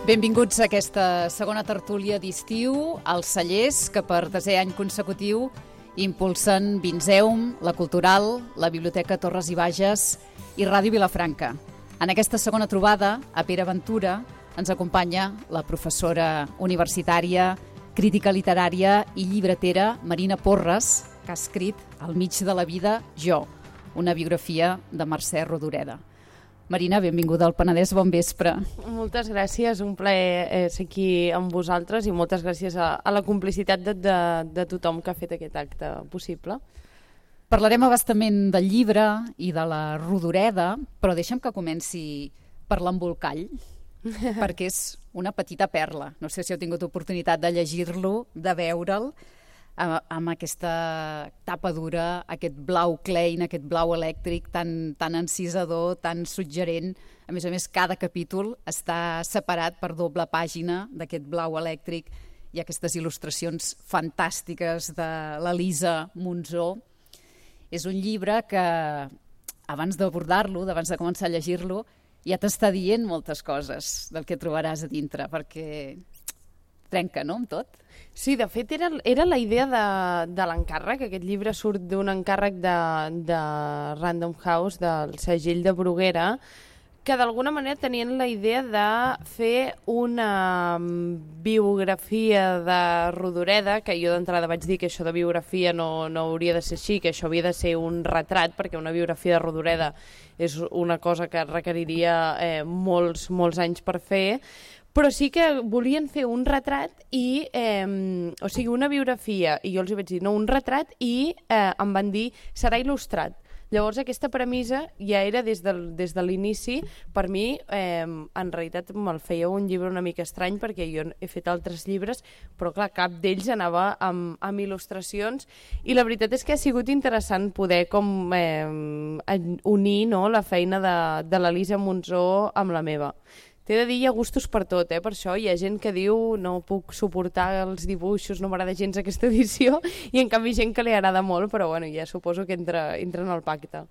Benvinguts a aquesta segona tertúlia d'estiu als cellers que per 10è any consecutiu impulsen Vinzeum, La Cultural, la Biblioteca Torres i Bages i Ràdio Vilafranca. En aquesta segona trobada, a Pere Ventura, ens acompanya la professora universitària, crítica literària i llibretera Marina Porres, que ha escrit Al mig de la vida, jo, una biografia de Mercè Rodoreda. Marina, benvinguda al Penedès, bon vespre. Moltes gràcies, un plaer ser aquí amb vosaltres i moltes gràcies a la complicitat de tothom que ha fet aquest acte possible. Parlarem abastament del llibre i de la Rodoreda, però deixa'm que comenci per l'embolcall, perquè és una petita perla. No sé si heu tingut oportunitat de llegir-lo, de veure'l, amb aquesta tapa dura, aquest blau Klein, aquest blau elèctric tan encisador, tan suggerent. A més, cada capítol està separat per doble pàgina d'aquest blau elèctric i aquestes il·lustracions fantàstiques de l'Elisa Monzó. És un llibre que, abans d'abordar-lo, abans de començar a llegir-lo, ja t'està dient moltes coses del que trobaràs a dintre, perquè trenca, no?, amb tot. Sí, de fet, era la idea de l'encàrrec. Aquest llibre surt d'un encàrrec de Random House, del segell de Bruguera, que d'alguna manera tenien la idea de fer una biografia de Rodoreda, que jo d'entrada vaig dir que això de biografia no hauria de ser així, que això havia de ser un retrat, perquè una biografia de Rodoreda és una cosa que requeriria molts anys per fer, però sí que volien fer un retrat o sigui, una biografia, i jo els vaig dir, no, un retrat, i em van dir, serà il·lustrat. Llavors aquesta premissa ja era des de l'inici. Per mi, en realitat, me'l feia un llibre una mica estrany, perquè jo he fet altres llibres, però clar, cap d'ells anava amb il·lustracions, i la veritat és que ha sigut interessant poder unir la feina de l'Elisa Monzó amb la meva. T'he de dir, hi ha gustos per tot, per això hi ha gent que diu no puc suportar els dibuixos, no m'agrada gens aquesta edició, i en canvi gent que li agrada molt, però bueno, ja suposo que entra en el pacte.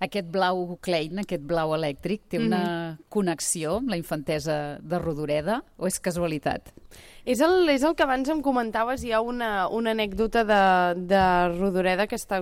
Aquest blau Klein, aquest blau elèctric, té una connexió amb la infantesa de Rodoreda o és casualitat? És el que abans em comentaves. Hi ha una anècdota de Rodoreda que està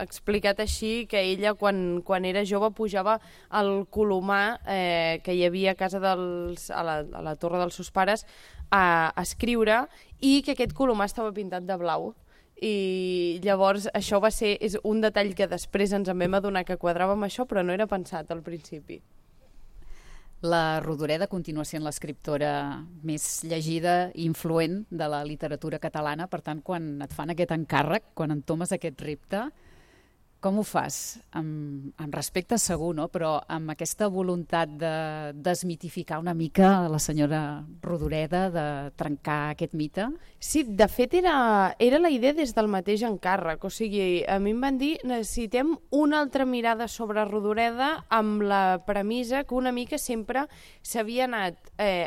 explicat així, que ella quan era jove pujava al colomar que hi havia a casa a la torre dels seus pares a escriure, i que aquest colomar estava pintat de blau. I llavors això és un detall que després ens en vam adonar que quadrava amb això, però no era pensat al principi. La Rodoreda continua sent l'escriptora més llegida i influent de la literatura catalana, per tant, quan et fan aquest encàrrec, quan entomes aquest repte, com ho fas? Amb respecte segur, no? Però amb aquesta voluntat de desmitificar una mica la senyora Rodoreda, de trencar aquest mite? Sí, de fet era la idea des del mateix encàrrec. O sigui, a mi em van dir necessitem una altra mirada sobre Rodoreda, amb la premissa que una mica sempre s'havia anat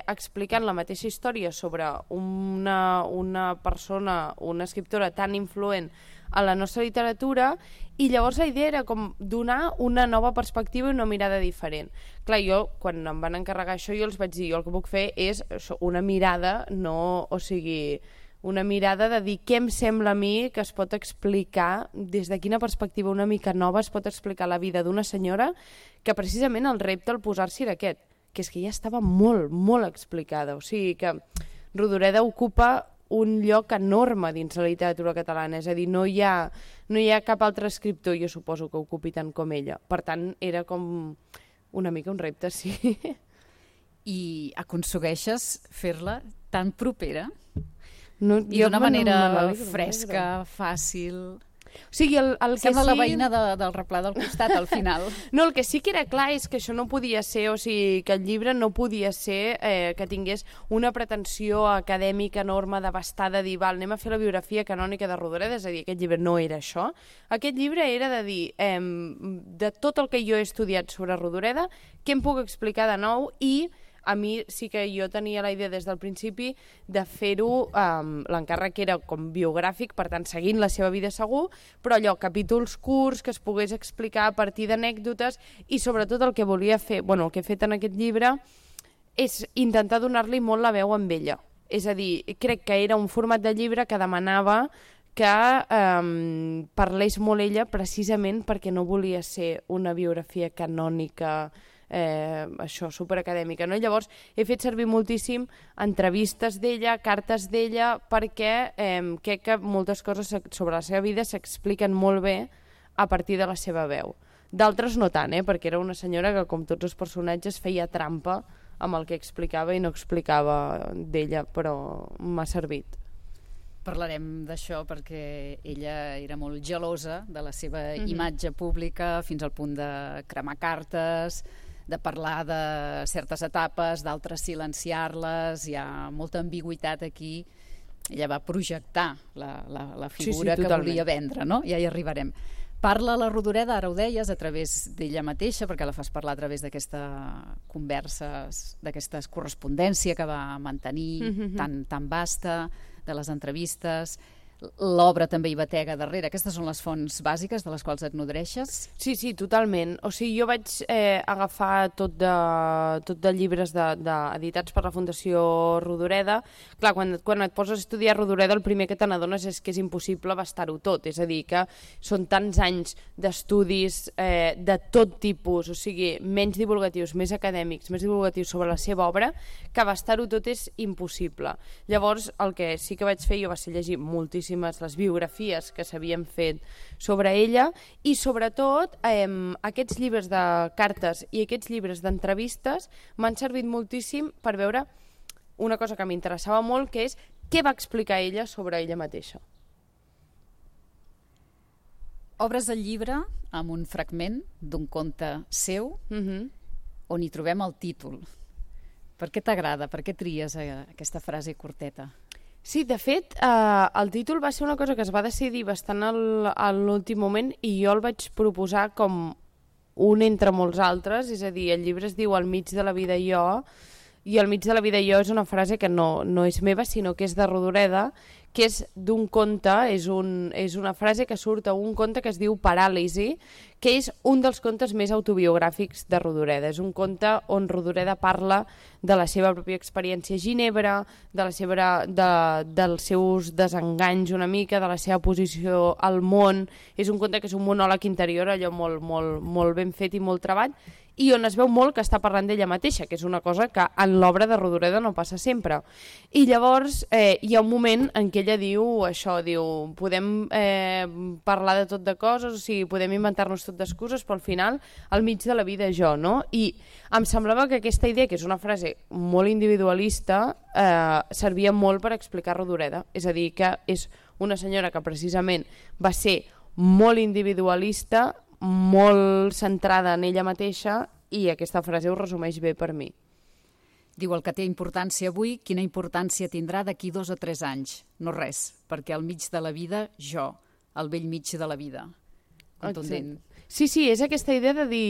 explicant la mateixa història sobre una persona, una escriptora tan influent a la nostra literatura, i llavors la idea era com donar una nova perspectiva i una mirada diferent. Clar, jo, quan em van encarregar això, jo els vaig dir, jo el que puc fer és una mirada, una mirada de dir què em sembla a mi que es pot explicar, des de quina perspectiva una mica nova es pot explicar la vida d'una senyora, que precisament el repte al posar-s'hi era aquest, que és que ja estava molt, molt explicada. O sigui que Rodoreda ocupa un lloc enorme dins la literatura catalana, és a dir, no hi ha cap altre escriptor, jo suposo, que ocupi tant com ella. Per tant, era com una mica un repte, sí. I aconsegueixes fer-la tan propera? No, I d'una manera fresca, fàcil. O sigui, el que sembla la veïna del replà del costat, al final. No, el que sí que era clar és que això no podia ser, o sigui, que el llibre no podia ser que tingués una pretensió acadèmica enorme, devastada, dir, anem a fer la biografia canònica de Rodoreda, és a dir, aquest llibre no era això. Aquest llibre era de dir, de tot el que jo he estudiat sobre Rodoreda, què em puc explicar de nou, i a mi sí que jo tenia la idea des del principi de fer-ho, l'encàrrec era com biogràfic, per tant seguint la seva vida segur, però allò, capítols curts que es pogués explicar a partir d'anècdotes, i sobretot el que volia fer, el que he fet en aquest llibre és intentar donar-li molt la veu amb ella. És a dir, crec que era un format de llibre que demanava que parlés molt ella precisament perquè no volia ser una biografia canònica, això, superacadèmica, no? Llavors he fet servir moltíssim entrevistes d'ella, cartes d'ella, perquè crec que moltes coses sobre la seva vida s'expliquen molt bé a partir de la seva veu. D'altres no tant, perquè era una senyora que, com tots els personatges, feia trampa amb el que explicava i no explicava d'ella, però m'ha servit. Parlarem d'això perquè ella era molt gelosa de la seva imatge pública, fins al punt de cremar cartes, de parlar de certes etapes, d'altres silenciar-les. Hi ha molta ambigüitat aquí. Ella va projectar la figura que volia vendre, no? Ja hi arribarem. Parla la Rodoreda, ara ho deies, a través d'ella mateixa, perquè la fas parlar a través d'aquesta conversa, d'aquesta correspondència que va mantenir tan vasta, de les entrevistes. L'obra també hi batega darrere. Aquestes són les fonts bàsiques de les quals et nodreixes? Sí, totalment. O sigui, jo vaig agafar tot de llibres editats per la Fundació Rodoreda. Clar, quan et poses a estudiar Rodoreda, el primer que te n'adones és que és impossible abastar-ho tot. És a dir, que són tants anys d'estudis de tot tipus, o sigui, menys divulgatius, més acadèmics, més divulgatius sobre la seva obra, que abastar-ho tot és impossible. Llavors, el que sí que vaig fer jo va ser llegir moltíssim les biografies que s'havien fet sobre ella i sobretot aquests llibres de cartes i aquests llibres d'entrevistes m'han servit moltíssim per veure una cosa que m'interessava molt, que és què va explicar ella sobre ella mateixa. Obres el llibre amb un fragment d'un conte seu on hi trobem el títol. Per què t'agrada? Per què tries aquesta frase curteta? Sí, de fet, el títol va ser una cosa que es va decidir bastant a l'últim moment i jo el vaig proposar com un entre molts altres, és a dir, el llibre es diu Al mig de la vida jo, i al mig de la vida jo és una frase que no és meva, sinó que és de Rodoreda, que és d'un conte, és una frase que surt a un conte que es diu Paràlisi, que és un dels contes més autobiogràfics de Rodoreda. És un conte on Rodoreda parla de la seva pròpia experiència a Ginebra, dels seus desenganys una mica, de la seva posició al món. És un conte que és un monòleg interior, allò molt ben fet i molt treballat, i on es veu molt que està parlant d'ella mateixa, que és una cosa que en l'obra de Rodoreda no passa sempre. I llavors hi ha un moment en què ella diu això, podem parlar de tot de coses, o sigui, podem inventar-nos tot d'excuses, però al final, al mig de la vida jo, no? I em semblava que aquesta idea, que és una frase molt individualista, servia molt per explicar Rodoreda. És a dir, que és una senyora que precisament va ser molt individualista, molt centrada en ella mateixa, i aquesta frase ho resumeix bé per mi. Diu, el que té importància avui, quina importància tindrà d'aquí 2 o 3 anys? No res, perquè al mig de la vida, jo, al vell mig de la vida. Contundent. Sí, és aquesta idea de dir,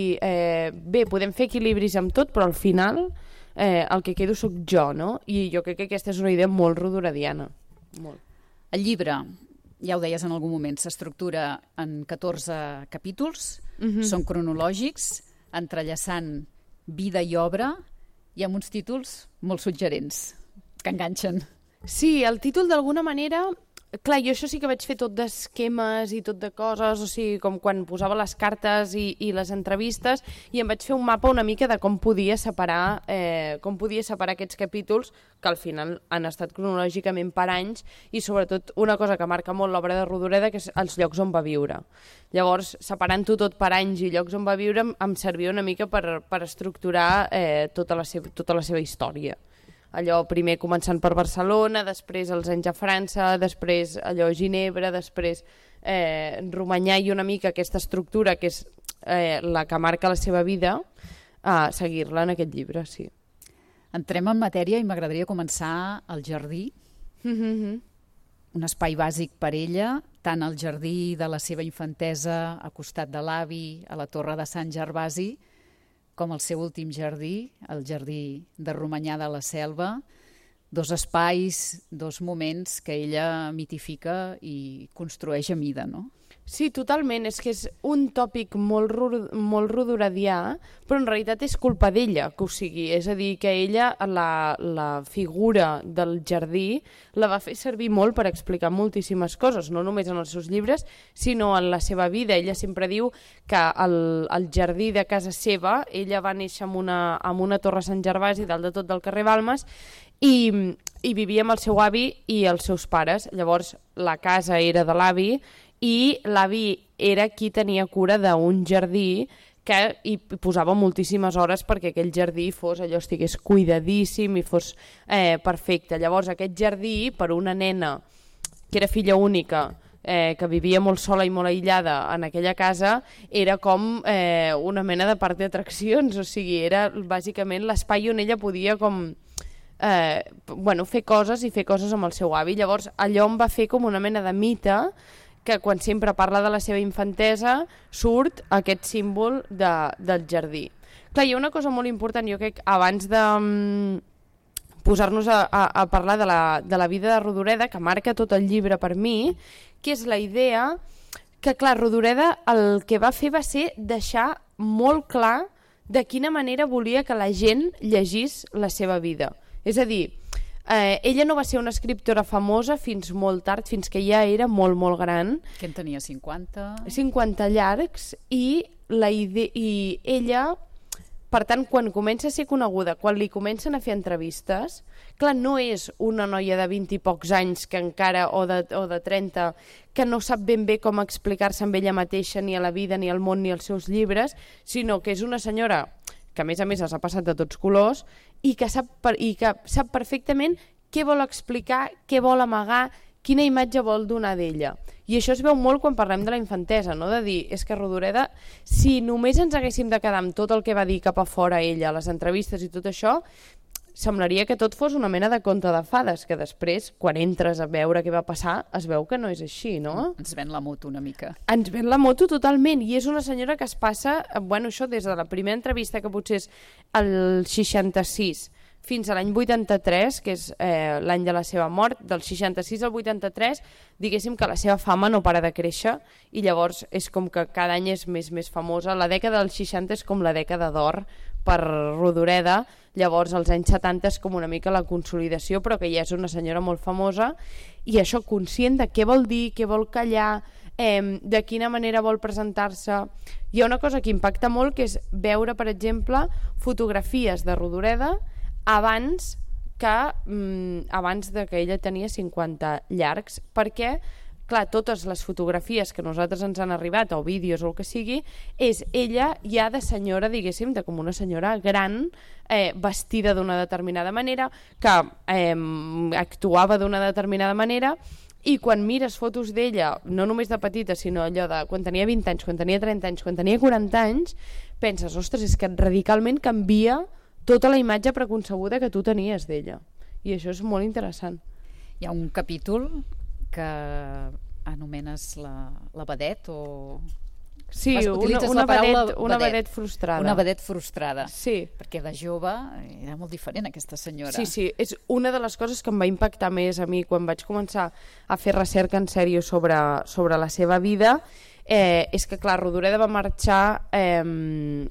bé, podem fer equilibris amb tot, però al final el que quedo sóc jo, no? I jo crec que aquesta és una idea molt rodorediana. Molt. El llibre, ja ho deies en algun moment, s'estructura en 14 capítols, són cronològics, entrellaçant vida i obra, i amb uns títols molt suggerents, que enganxen. Sí, el títol d'alguna manera... Clar, jo això sí que vaig fer tot d'esquemes i tot de coses, o sigui, com quan posava les cartes i les entrevistes, i em vaig fer un mapa una mica de com podia separar aquests capítols, que al final han estat cronològicament per anys, i sobretot una cosa que marca molt l'obra de Rodoreda, que és els llocs on va viure. Llavors, separant-ho tot per anys i llocs on va viure, em servia una mica per estructurar tota la seva història. Allò primer començant per Barcelona, després els anys a França, després allò Ginebra, després Romanyà, i una mica aquesta estructura que és la que marca la seva vida, seguir-la en aquest llibre, sí. Entrem en matèria i m'agradaria començar al jardí, un espai bàsic per ella, tant el jardí de la seva infantesa a costat de l'avi, a la Torre de Sant Gervasi, com el seu últim jardí, el jardí de Romanyà de la Selva, 2 espais, 2 moments que ella mitifica i construeix a mida, no? Sí, totalment. És que és un tòpic molt rodoredià, però en realitat és culpa d'ella que ho sigui. És a dir, que ella, la figura del jardí, la va fer servir molt per explicar moltíssimes coses, no només en els seus llibres, sinó en la seva vida. Ella sempre diu que el jardí de casa seva, ella va néixer en una torre a Sant Gervasi, dalt de tot del carrer Balmes, i vivia amb el seu avi i els seus pares. Llavors, la casa era de l'avi, i l'avi era qui tenia cura d'un jardí que hi posava moltíssimes hores perquè aquell jardí estigués cuidadíssim i fos perfecte. Llavors aquest jardí, per una nena que era filla única, que vivia molt sola i molt aïllada en aquella casa, era com una mena de parc d'atraccions, o sigui, era bàsicament l'espai on ella podia fer coses amb el seu avi. Llavors allò em va fer com una mena de mite que quan sempre parla de la seva infantesa surt aquest símbol del jardí. Clar, hi ha una cosa molt important, jo crec, abans de posar-nos a parlar de la vida de Rodoreda, que marca tot el llibre per mi, que és la idea que, clar, Rodoreda el que va fer va ser deixar molt clar de quina manera volia que la gent llegís la seva vida. És a dir, ella no va ser una escriptora famosa fins molt tard, fins que ja era molt, molt gran. Que en tenia 50? 50 llargs, i ella, per tant, quan comença a ser coneguda, quan li comencen a fer entrevistes, clar, no és una noia de 20 i pocs anys que encara, o de 30, que no sap ben bé com explicar-se amb ella mateixa, ni a la vida, ni al món, ni als seus llibres, sinó que és una senyora que a més els ha passat de tots colors i que sap perfectament què vol explicar, què vol amagar, quina imatge vol donar d'ella. I això es veu molt quan parlem de la infantesa, no? De dir, és que Rodoreda, si només ens haguéssim de quedar amb tot el que va dir cap a fora ella, les entrevistes i tot això, semblaria que tot fos una mena de conte de fades, que després, quan entres a veure què va passar, es veu que no és així, no? Ens ven la moto una mica. Ens ven la moto totalment, i és una senyora que es passa, això des de la primera entrevista, que potser és el 66, fins a l'any 83, que és l'any de la seva mort, del 66 al 83, diguéssim que la seva fama no para de créixer, i llavors és com que cada any és més famosa. La dècada dels 60 és com la dècada d'or per Rodoreda, llavors als anys 70 és com una mica la consolidació, però que ja és una senyora molt famosa, i això, conscient de què vol dir, què vol callar, de quina manera vol presentar-se. Hi ha una cosa que impacta molt, que és veure, per exemple, fotografies de Rodoreda abans de que ella tenia 50 llargs, perquè clar, totes les fotografies que a nosaltres ens han arribat, o vídeos o el que sigui, és ella ja de senyora, diguéssim, de com una senyora gran, vestida d'una determinada manera, que actuava d'una determinada manera, i quan mires fotos d'ella, no només de petita, sinó allò de quan tenia 20 anys, quan tenia 30 anys, quan tenia 40 anys, penses, ostres, és que radicalment canvia tota la imatge preconcebuda que tu tenies d'ella. I això és molt interessant. Hi ha un capítol que anomenes la vedet, o... Sí, una vedet frustrada. Una vedet frustrada. Sí. Perquè de jove era molt diferent aquesta senyora. Sí, és una de les coses que em va impactar més a mi quan vaig començar a fer recerca en sèrio sobre la seva vida. És que, clar, Rodoreda va marxar amb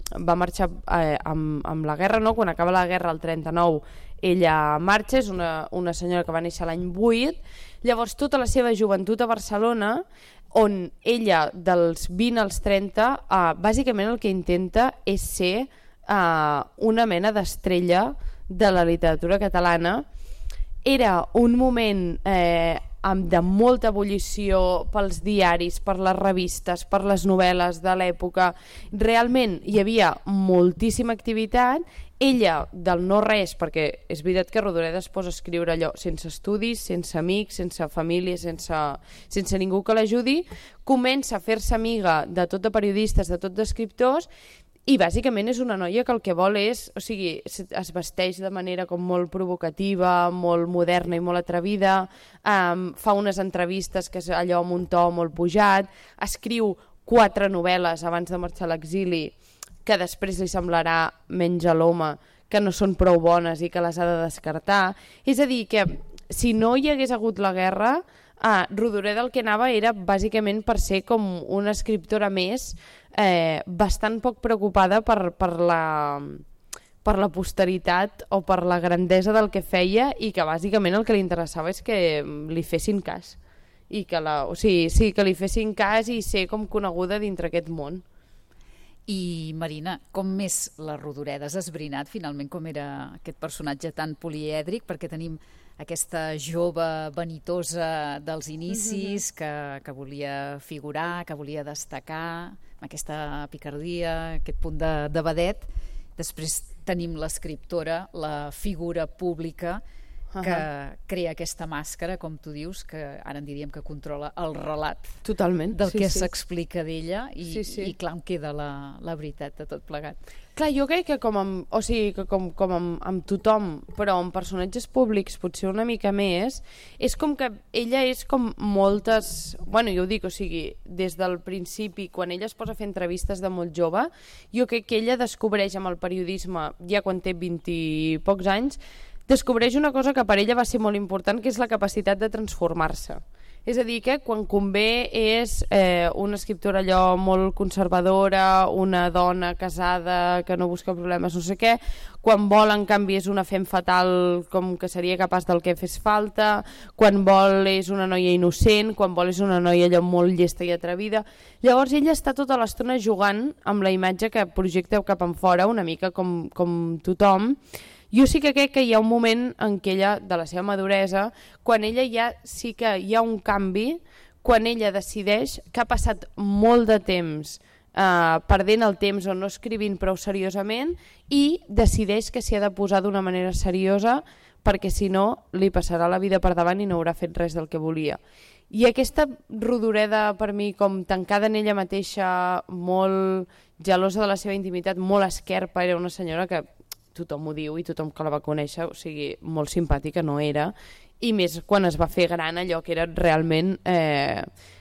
la guerra, no? Quan acaba la guerra, el 39, ella marxa, és una senyora que va néixer l'any 8, llavors tota la seva joventut a Barcelona, on ella dels 20 als 30 bàsicament el que intenta és ser una mena d'estrella de la literatura catalana. Era un moment de molta ebullició pels diaris, per les revistes, per les novel·les de l'època. Realment hi havia moltíssima activitat. Ella, del no res, perquè és veritat que Rodoreda es posa a escriure allò sense estudis, sense amics, sense família, sense ningú que l'ajudi, comença a fer-se amiga de tot de periodistes, de tot d'escriptors, i bàsicament és una noia que el que vol és, o sigui, es vesteix de manera com molt provocativa, molt moderna i molt atrevida, fa unes entrevistes que és allò amb un to molt pujat, escriu 4 novel·les abans de marxar a l'exili que després li semblarà menys a l'home, que no són prou bones i que les ha de descartar. És a dir, que si no hi hagués hagut la guerra, Rodoreda el que anava era bàsicament per ser com una escriptora més bastant poc preocupada per la posteritat o per la grandesa del que feia, i que bàsicament el que li interessava és que li fessin cas i que que li fessin cas i ser com coneguda dintre aquest món. I Marina, com més la Rodoreda has esbrinat finalment com era aquest personatge tan polièdric, perquè tenim aquesta jove vanitosa dels inicis que volia figurar, que volia destacar, amb aquesta picardia, aquest punt de vedet. Després tenim l'escriptora, la figura pública que crea aquesta màscara, com tu dius, que ara en diríem que controla el relat. Totalment. Del que s'explica d'ella i clar, em queda la veritat de tot plegat. Clar, jo crec que com amb tothom, però amb personatges públics potser una mica més, és com que ella és com moltes... Bueno, jo ho dic, des del principi, quan ella es posa a fer entrevistes de molt jove, jo crec que ella descobreix amb el periodisme, ja quan té 20 i pocs anys, descobreix una cosa que per ella va ser molt important, que és la capacitat de transformar-se. És a dir, que quan convé és una escriptora allò molt conservadora, una dona casada que no busca problemes, no sé què, quan vol, en canvi, és una femme fatal com que seria capaç del que fes falta, quan vol és una noia innocent, quan vol és una noia allò molt llesta i atrevida. Llavors ella està tota l'estona jugant amb la imatge que projecta cap enfora, una mica com tothom. Jo sí que crec que hi ha un moment en què ella, de la seva maduresa, quan ella sí que hi ha un canvi, quan ella decideix que ha passat molt de temps perdent el temps o no escrivint prou seriosament, i decideix que s'hi ha de posar d'una manera seriosa, perquè si no li passarà la vida per davant i no haurà fet res del que volia. I aquesta Rodoreda, per mi, com tancada en ella mateixa, molt gelosa de la seva intimitat, molt esquerpa, era una senyora que tothom ho diu i tothom que la va conèixer, molt simpàtica no era, i més quan es va fer gran, allò que era realment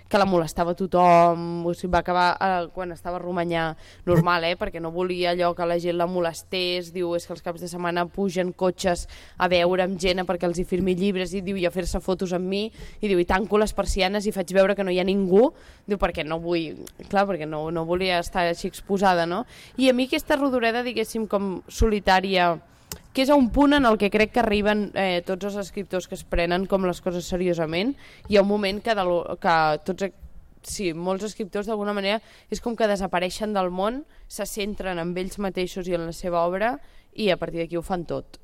que la molestava tothom, va acabar quan estava a Romanyà normal, perquè no volia allò que la gent la molestés, diu, és que els caps de setmana pugen cotxes a veure amb gent perquè els hi firmi llibres, i diu, i a fer-se fotos amb mi, i diu, i tanco les persianes i faig veure que no hi ha ningú, diu, perquè no vull, clar, perquè no volia estar així exposada, no? I a mi aquesta Rodoreda, diguéssim, com solitària, que és a un punt en el que crec que arriben tots els escriptors que es prenen com les coses seriosament. Hi ha un moment que molts escriptors d'alguna manera és com que desapareixen del món, se centren en ells mateixos i en la seva obra, i a partir d'aquí ho fan tot.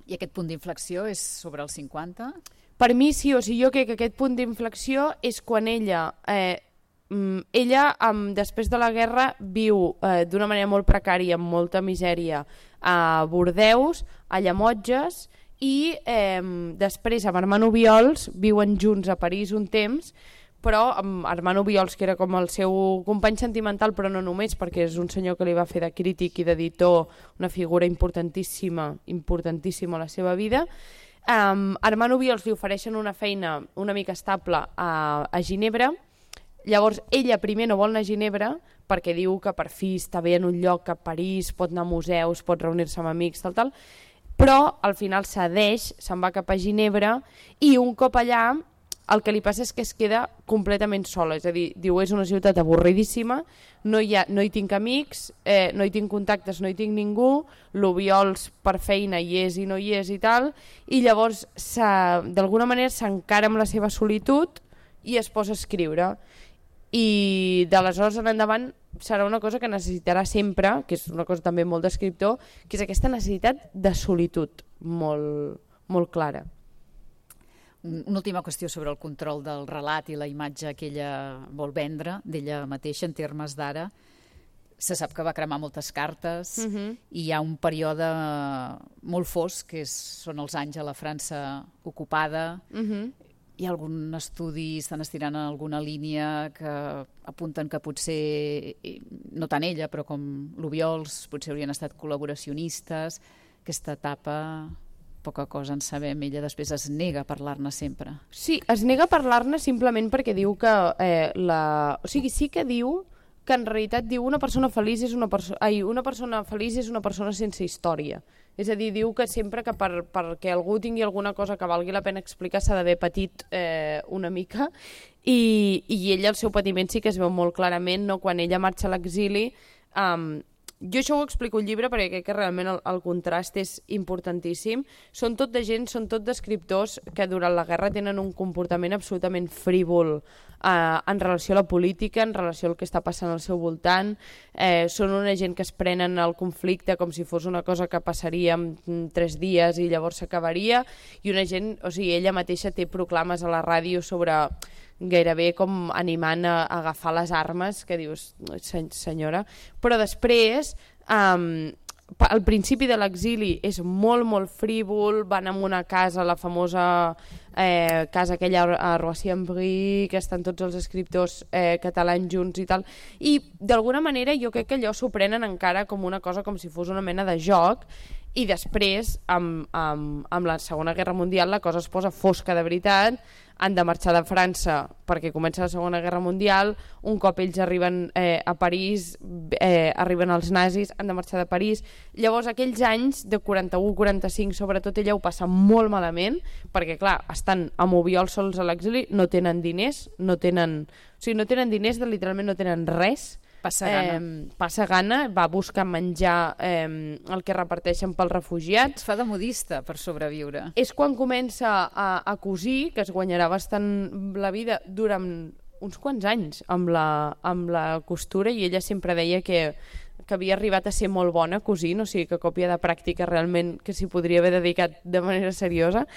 I aquest punt d'inflexió és sobre els 50? Per mi sí, jo crec que aquest punt d'inflexió és quan ella després de la guerra viu d'una manera molt precària, amb molta misèria, a Bordeus, a Llemotges, i després amb Armand Obiols viuen junts a París un temps, però amb Armand Obiols, que era com el seu company sentimental, però no només, perquè és un senyor que li va fer de crític i d'editor, una figura importantíssima a la seva vida. Armand Obiols li ofereixen una feina una mica estable a Ginebra. Llavors ella primer no vol anar a Ginebra perquè diu que per fi està bé en un lloc, que a París pot anar a museus, pot reunir-se amb amics, tal, però al final cedeix, se'n va cap a Ginebra, i un cop allà el que li passa és que es queda completament sola, és a dir, diu, és una ciutat avorridíssima, no hi tinc amics, no hi tinc contactes, no hi tinc ningú, l'Obiols per feina hi és i no hi és i tal, i llavors d'alguna manera s'encara amb la seva solitud i es posa a escriure. I d'aleshores en endavant serà una cosa que necessitarà sempre, que és una cosa també molt d'escriptor, que és aquesta necessitat de solitud molt, molt clara. Una última qüestió sobre el control del relat i la imatge que ella vol vendre d'ella mateixa en termes d'ara. Se sap que va cremar moltes cartes i hi ha un període molt fosc, que són els anys a la França ocupada. Hi ha algun estudi, estan estirant en alguna línia que apunten que potser, no tant ella, però com l'Obiols, potser haurien estat col·laboracionistes. Aquesta etapa, poca cosa en sabem. Ella després es nega a parlar-ne sempre. Sí, es nega a parlar-ne simplement perquè diu que sí que diu que en realitat diu una persona feliç és una persona feliç és una persona sense història. És a dir, diu que sempre que perquè algú tingui alguna cosa que valgui la pena explicar s'ha d'haver patit una mica, i ella, el seu patiment sí que es veu molt clarament, no? Quan ella marxa a l'exili. Jo això ho explico al llibre perquè crec que realment el contrast és importantíssim. Són tot de gent, són tot d'escriptors que durant la guerra tenen un comportament absolutament frívol en relació a la política, en relació al que està passant al seu voltant. Són una gent que es prenen el conflicte com si fos una cosa que passaria en 3 dies i llavors s'acabaria, i una gent, o sigui, ella mateixa té proclames a la ràdio sobre gairebé com animant a agafar les armes, que dius, senyora. Però després, al principi de l'exili és molt, molt frívol, van a una casa, la famosa casa aquella a Roissy-en-Brie, que estan tots els escriptors catalans junts i tal, i d'alguna manera jo crec que allò s'ho prenen encara com una cosa, com si fos una mena de joc, i després, amb la Segona Guerra Mundial, la cosa es posa fosca de veritat. Han de marxar de França perquè comença la Segona Guerra Mundial. Un cop ells arriben a París, arriben els nazis, han de marxar de París. Llavors, aquells anys de 41-45, sobretot ella ho passa molt malament, perquè, clar, estan amb Obiols sols a l'exili, no tenen diners, no tenen diners, literalment no tenen res. Passa gana, va buscar menjar el que reparteixen pels refugiats. Fa de modista per sobreviure. És quan comença a cosir, que es guanyarà bastant la vida durant uns quants anys amb la costura, i ella sempre deia que havia arribat a ser molt bona cosint, o sigui que còpia de pràctica realment que s'hi podria haver dedicat de manera seriosa.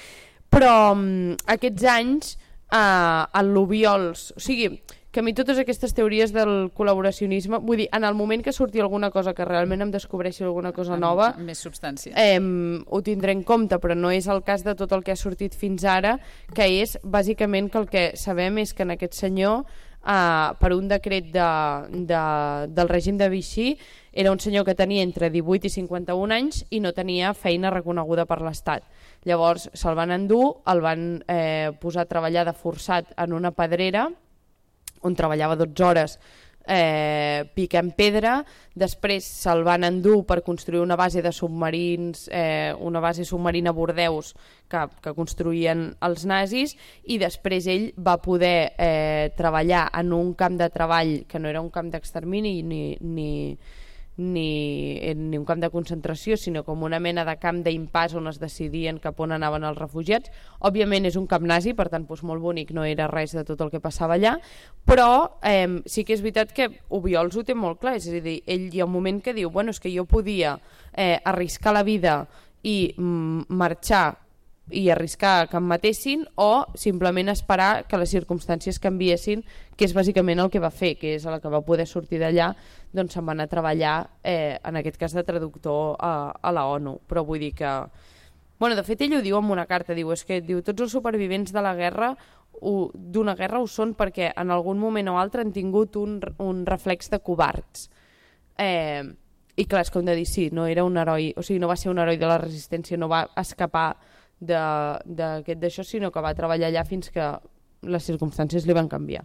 Però aquests anys a l'Obiols, o sigui, que a mi totes aquestes teories del col·laboracionisme, vull dir, en el moment que surti alguna cosa que realment em descobreixi alguna cosa nova, amb més substància, ho tindré en compte, però no és el cas de tot el que ha sortit fins ara, que és bàsicament que el que sabem és que en aquest senyor, per un decret del règim de Vichy, era un senyor que tenia entre 18 i 51 anys i no tenia feina reconeguda per l'Estat. Llavors se'l van endur, el van posar a treballar de forçat en una pedrera, on treballava 12 hores picant pedra. Després se'l van endur per construir una base de submarins, una base submarina a Bordeus que construïen els nazis, i després ell va poder treballar en un camp de treball que no era un camp d'extermini ni un camp de concentració, sinó com una mena de camp d'impàs on es decidien cap on anaven els refugiats. Òbviament és un camp nazi, per tant molt bonic no era res de tot el que passava allà, però sí que és veritat que Obiols ho té molt clar, és a dir, ell hi ha un moment que diu, bueno, és que jo podia arriscar la vida i marxar i arriscar que em matessin, o simplement esperar que les circumstàncies canviessin, que és bàsicament el que va fer, que és el que va poder sortir d'allà, doncs se'n va anar a treballar, en aquest cas de traductor a la ONU. Però vull dir que... Bueno, de fet ell ho diu en una carta, diu tots els supervivents de la guerra d'una guerra ho són perquè en algun moment o altre han tingut un reflex de covards. I clar, és com de dir, sí, no era un heroi, o sigui, no va ser un heroi de la resistència, no va escapar d'això, sinó que va treballar allà fins que les circumstàncies li van canviar.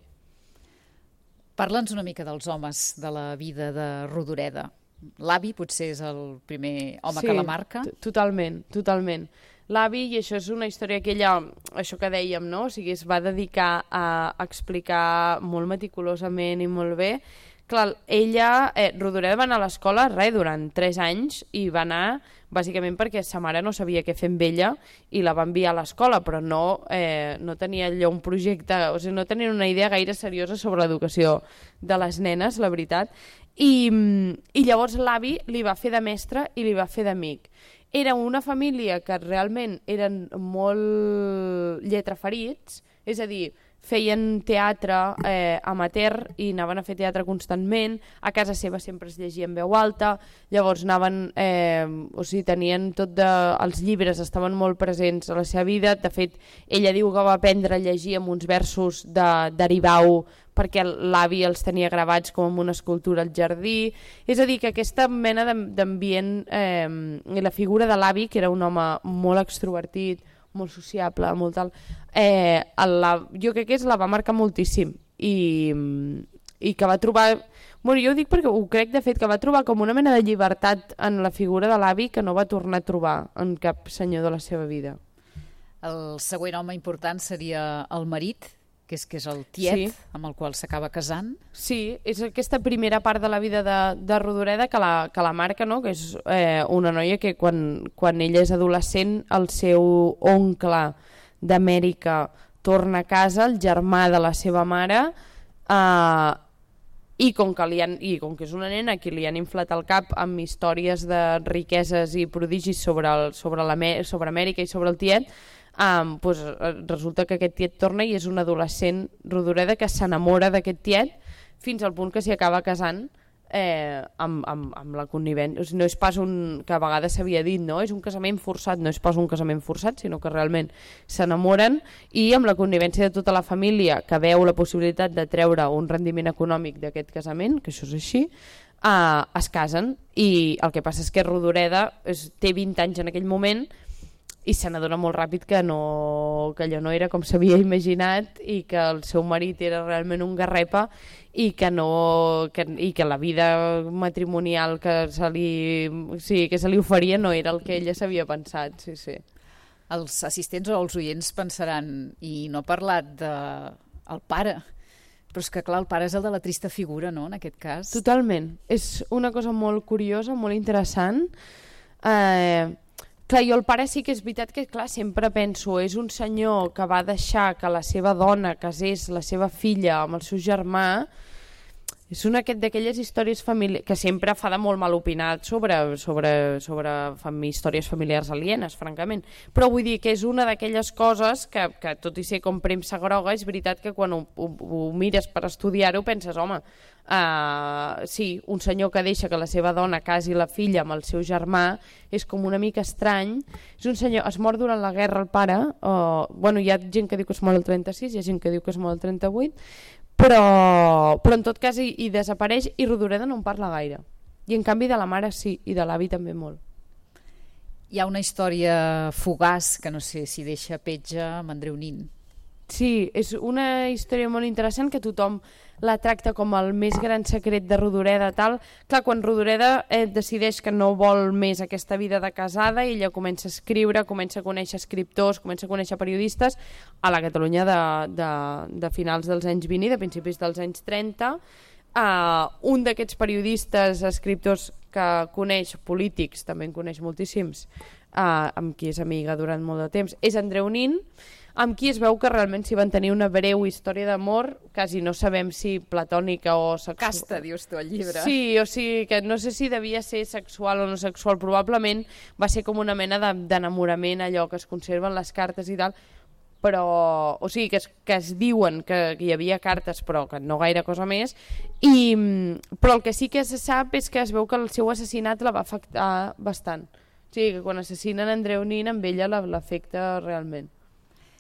Parla'ns una mica dels homes de la vida de Rodoreda. L'avi potser és el primer home que la marca. Totalment. L'avi, i això és una història que ella, això que dèiem, no? O sigui, es va dedicar a explicar molt meticulosament i molt bé. Clar, ella, Rodoreda va anar a l'escola durant 3 anys, i va anar bàsicament perquè sa mare no sabia què fer amb ella i la va enviar a l'escola, però no tenia allò un projecte, o sigui, no tenia una idea gaire seriosa sobre l'educació de les nenes, la veritat. I llavors l'avi li va fer de mestre i li va fer d'amic. Era una família que realment eren molt lletraferits, és a dir, feien teatre amateur i anaven a fer teatre constantment. A casa seva sempre es llegia en veu alta, llavors anaven, o sigui, tenien els llibres estaven molt presents a la seva vida. De fet, ella diu que va aprendre a llegir amb uns versos d'Aribau perquè l'avi els tenia gravats com en una escultura al jardí. És a dir, que aquesta mena d'ambient, i la figura de l'avi, que era un home molt extrovertit, molt sociable, molt tal, jo crec que la va marcar moltíssim, i i que va trobar... Bueno, jo ho dic perquè ho crec, de fet, que va trobar com una mena de llibertat en la figura de l'avi que no va tornar a trobar en cap senyor de la seva vida. El següent home important seria el marit, que és el tiet, amb el qual s'acaba casant. Sí, és aquesta primera part de la vida de Rodoreda que la marca, no? Que és una noia que quan ella és adolescent, el seu oncle d'Amèrica torna a casa, el germà de la seva mare, i com que és una nena que li han inflat el cap amb històries de riqueses i prodigis sobre Amèrica i sobre el tiet, doncs resulta que aquest tiet torna i és un adolescent Rodoreda que s'enamora d'aquest tiet fins al punt que s'hi acaba casant amb la connivència. O sigui, no és pas que a vegades s'havia dit, no? És un casament forçat, no és pas un casament forçat, sinó que realment s'enamoren i amb la connivència de tota la família que veu la possibilitat de treure un rendiment econòmic d'aquest casament, que això és així, es casen. I el que passa és que Rodoreda té 20 anys en aquell moment i se n'adona molt ràpid que allò no era com s'havia imaginat i que el seu marit era realment un garrepa i que la vida matrimonial que se li oferia no era el que ella s'havia pensat. Sí. Els assistents o els oients pensaran, i no ha parlat del pare, però és que clar, el pare és el de la trista figura, no?, en aquest cas. Totalment, és una cosa molt curiosa, molt interessant. Clar, jo el pare sí que és veritat que clar, sempre penso, és un senyor que va deixar que la seva dona casés la seva filla amb el seu germà. És una d'aquelles històries familiars que sempre fa de molt mal opinat sobre històries familiars alienes, francament. Però vull dir que és una d'aquelles coses que tot i ser com premsa groga, és veritat que quan ho mires per estudiar-ho penses, home, sí, un senyor que deixa que la seva dona casi la filla amb el seu germà és com una mica estrany. És un senyor, es mor durant la guerra el pare, bueno, hi ha gent que diu que es mor el 36, hi ha gent que diu que es mor el 38, però en tot cas hi desapareix i Rodoreda no en parla gaire. I en canvi de la mare sí, i de l'avi també molt. Hi ha una història fugaç que no sé si deixa petja amb Andreu Nin. Sí, és una història molt interessant que tothom la tracta com el més gran secret de Rodoreda. Tal. Clar, quan Rodoreda decideix que no vol més aquesta vida de casada, ella comença a escriure, comença a conèixer escriptors, comença a conèixer periodistes a la Catalunya de finals dels anys 20 i de principis dels anys 30. Un d'aquests periodistes, escriptors que coneix, polítics, també en coneix moltíssims, amb qui és amiga durant molt de temps, és Andreu Nin, amb qui es veu que realment s'hi van tenir una breu història d'amor, quasi no sabem si platònica o sexual. Casta, dius tu, al llibre. Sí, o sigui, que no sé si devia ser sexual o no sexual, probablement va ser com una mena d'enamorament, allò que es conserven les cartes i tal, però, o sigui, que es diuen que hi havia cartes, però que no gaire cosa més, però el que sí que se sap és que es veu que el seu assassinat la va afectar bastant. O sigui, que quan assassinen Andreu Nin, amb ella l'afecta realment.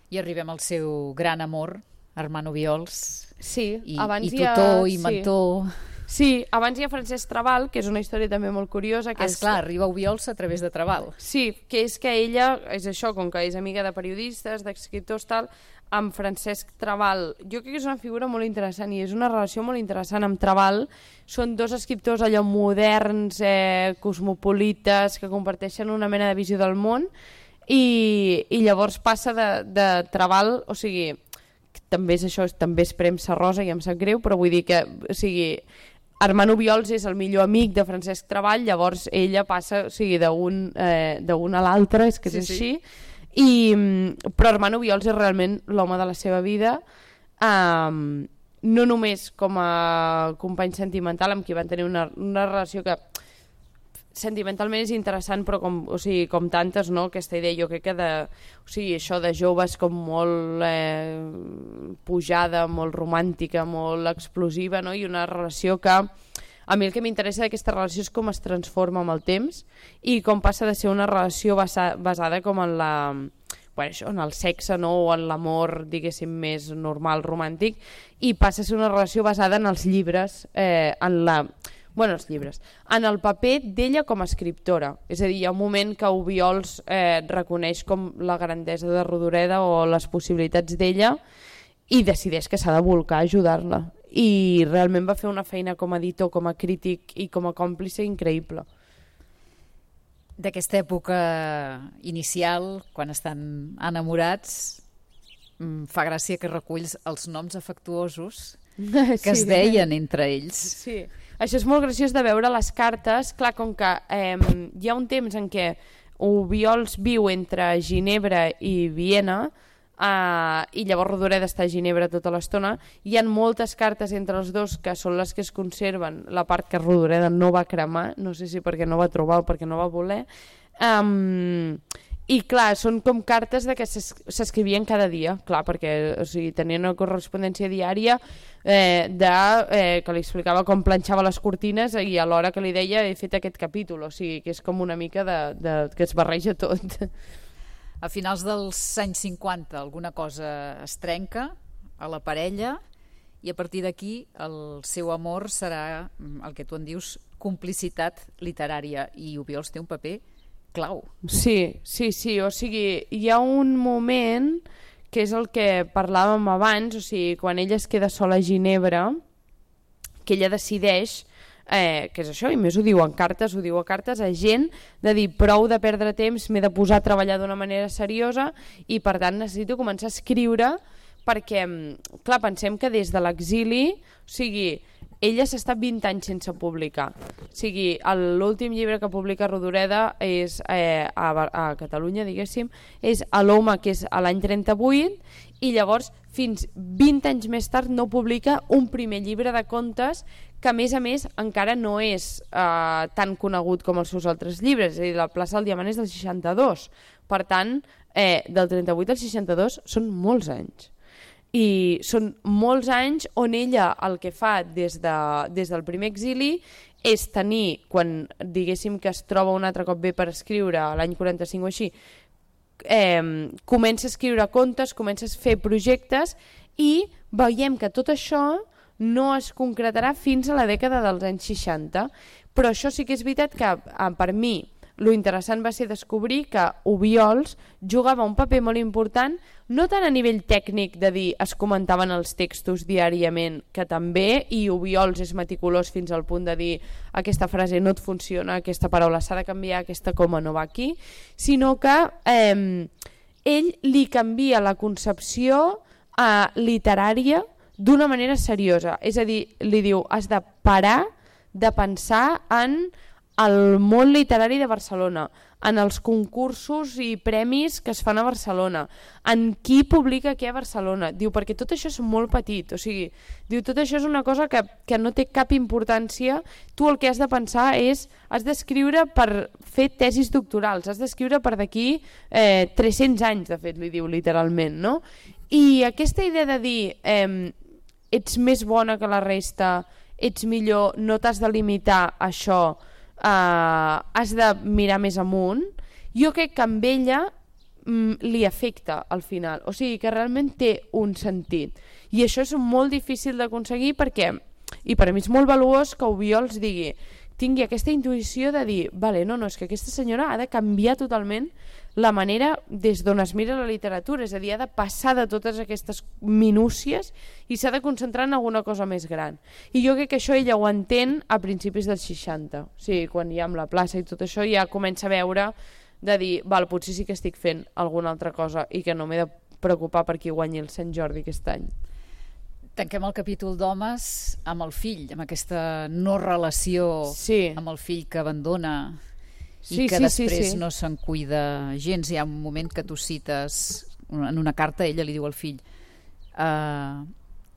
I arribem al seu gran amor, Armand Obiols, sí, i tutor i mentor. Sí, abans hi ha Francesc Trabal, que és una història també molt curiosa. Esclar, arriba Obiols a través de Trabal. Sí, que és que ella, és això, com que és amiga de periodistes, d'escriptors, tal, amb Francesc Trabal, jo crec que és una figura molt interessant i és una relació molt interessant amb Trabal. Són dos escriptors allò moderns, cosmopolites, que comparteixen una mena de visió del món. I llavors passa de Trabal, o sigui, també és això, també és premsa rosa i em sap greu, però vull dir que, o sigui, Armand Obiols és el millor amic de Francesc Trabal, llavors ella passa, o sigui, d'un a l'altre, és que és així, però Armand Obiols és realment l'home de la seva vida, no només com a company sentimental amb qui van tenir una relació que sentimentalment és interessant, però com tantes, no? Aquesta idea, jo crec que això de joves com molt pujada, molt romàntica, molt explosiva, no? I una relació que a mi el que m'interessa d'aquesta relació és com es transforma amb el temps i com passa de ser una relació basada com en en el sexe, no? O en l'amor, diguéssim, més normal, romàntic, i passa a ser una relació basada en els llibres, en el paper d'ella com a escriptora. És a dir, hi ha un moment que Obiols reconeix com la grandesa de Rodoreda o les possibilitats d'ella i decideix que s'ha de volcar a ajudar-la. i realment va fer una feina com a editor, com a crític i com a còmplice increïble. D'aquesta època inicial, quan estan enamorats, fa gràcia que reculls els noms afectuosos que es deien entre ells. Sí, això és molt graciós de veure les cartes. Clar, com que hi ha un temps en què Obiols viu entre Ginebra i Viena, i llavors Rodoreda està a Ginebra tota l'estona, hi ha moltes cartes entre els dos que són les que es conserven, la part que Rodoreda no va cremar, no sé si perquè no va trobar o perquè no va voler, i clar, són com cartes de que s'escrivien cada dia, clar, perquè o sigui, tenien una correspondència diària que li explicava com planxava les cortines i alhora que li deia he fet aquest capítol, o sigui que és com una mica que es barreja tot. A finals dels anys 50 alguna cosa es trenca a la parella i a partir d'aquí el seu amor serà el que tu en dius complicitat literària, i Obiols té un paper clau. Sí, o sigui, hi ha un moment que és el que parlàvem abans, o sigui, quan ella es queda sola a Ginebra, que ella decideix, que és això, i més ho diu a cartes a gent, de dir prou de perdre temps, m'he de posar a treballar d'una manera seriosa i per tant necessito començar a escriure, perquè, clar, pensem que des de l'exili, o sigui, ella s'ha estat 20 anys sense publicar. O sigui, l'últim llibre que publica Rodoreda és a Catalunya, diguéssim, és a l'Home, que és a l'any 38, i llavors fins 20 anys més tard no publica un primer llibre de contes que a més encara no és tan conegut com els seus altres llibres, és a dir, La plaça del Diamant és del 62, per tant del 38 al 62 són molts anys. I són molts anys on ella el que fa des del primer exili és tenir, quan diguéssim que es troba un altre cop bé per escriure l'any 45 o així, comença a escriure contes, comença a fer projectes i veiem que tot això no es concretarà fins a la dècada dels anys 60, però això sí que és veritat que per mi lo interessant va ser descobrir que Obiols jugava un paper molt important, no tant a nivell tècnic de dir es comentaven els textos diàriament, que també, i Obiols és meticulós fins al punt de dir aquesta frase no et funciona, aquesta paraula s'ha de canviar, aquesta coma no va aquí, sinó que ell li canvia la concepció literària d'una manera seriosa, és a dir, li diu has de parar de pensar en el món literari de Barcelona, en els concursos i premis que es fan a Barcelona, en qui publica què a Barcelona. Diu, perquè tot això és molt petit, o sigui, diu, tot això és una cosa que no té cap importància, tu el que has de pensar és, has d'escriure per fer tesis doctorals, has d'escriure per d'aquí 300 anys, de fet, li diu literalment, no? I aquesta idea de dir ets més bona que la resta, ets millor, no t'has de limitar a això, has de mirar més amunt, jo crec que amb ella li afecta al final, o sigui que realment té un sentit, i això és molt difícil d'aconseguir perquè, i per a mi és molt valuós que Obiols tingui aquesta intuïció de dir, vale, no, és que aquesta senyora ha de canviar totalment la manera des d'on es mira la literatura, és a dir, ha de passar de totes aquestes minúcies i s'ha de concentrar en alguna cosa més gran. I jo crec que això ella ho entén a principis dels 60, o sigui, quan hi ha amb la plaça i tot això ja comença a veure de dir, val, potser sí que estic fent alguna altra cosa i que no m'he de preocupar per qui guanyi el Sant Jordi aquest any. Tanquem el capítol d'homes amb el fill, amb aquesta no relació amb el fill que abandona i que després no se'n cuida gens. Hi ha un moment que tu cites en una carta, ella li diu al fill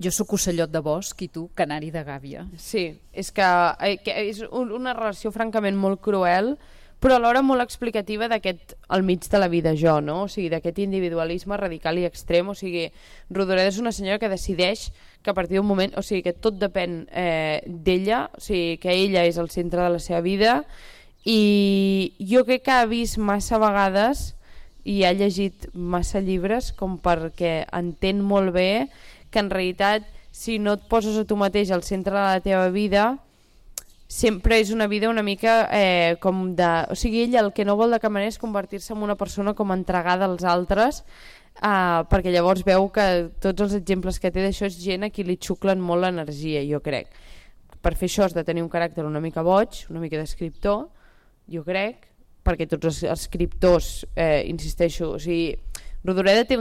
jo sóc ocellot de bosc i tu canari de gàbia. Sí, és que és una relació francament molt cruel, però alhora molt explicativa d'aquest al mig de la vida jo, no? O sigui, d'aquest individualisme radical i extrem. O sigui, Rodoreda és una senyora que decideix que a partir d'un moment, o sigui, que tot depèn d'ella, o sigui, que ella és el centre de la seva vida, i jo crec que ha vist massa vegades i ha llegit massa llibres com perquè entén molt bé que en realitat si no et poses a tu mateix al centre de la teva vida sempre és una vida una mica com de... O sigui, ella el que no vol de cap manera és convertir-se en una persona com entregada als altres perquè llavors veu que tots els exemples que té d'això és gent a qui li xuclen molt l'energia, jo crec. Per fer això has de tenir un caràcter una mica boig, una mica d'escriptor, jo crec, perquè tots els escriptors, insisteixo, o sigui, Rodoreda té